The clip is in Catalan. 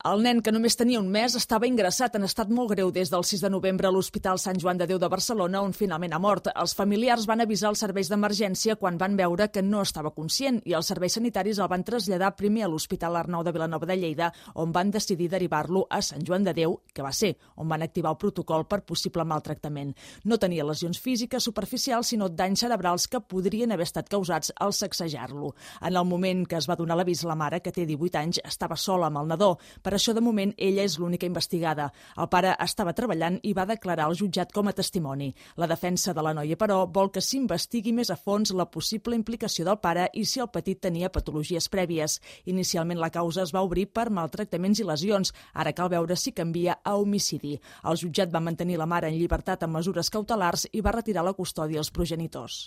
El nen, que només tenia un mes, estava ingressat en estat molt greu des del 6 de novembre a l'Hospital Sant Joan de Déu de Barcelona, on finalment ha mort. Els familiars van avisar els serveis d'emergència quan van veure que no estava conscient i els serveis sanitaris el van traslladar primer a l'Hospital Arnau de Vilanova de Lleida, on van decidir derivar-lo a Sant Joan de Déu, que va ser on van activar el protocol per possible maltractament. No tenia lesions físiques superficials, sinó danys cerebrals que podrien haver estat causats al sacsejar-lo. En el moment que es va donar l'avís, la mare, que té 18 anys, estava sola amb el nadó. Per això, de moment, ella és l'única investigada. El pare estava treballant i va declarar al jutjat com a testimoni. La defensa de la noia, però, vol que s'investigui més a fons la possible implicació del pare i si el petit tenia patologies prèvies. Inicialment, la causa es va obrir per maltractaments i lesions. Ara cal veure si canvia a homicidi. El jutjat va mantenir la mare en llibertat amb mesures cautelars i va retirar la custòdia als progenitors.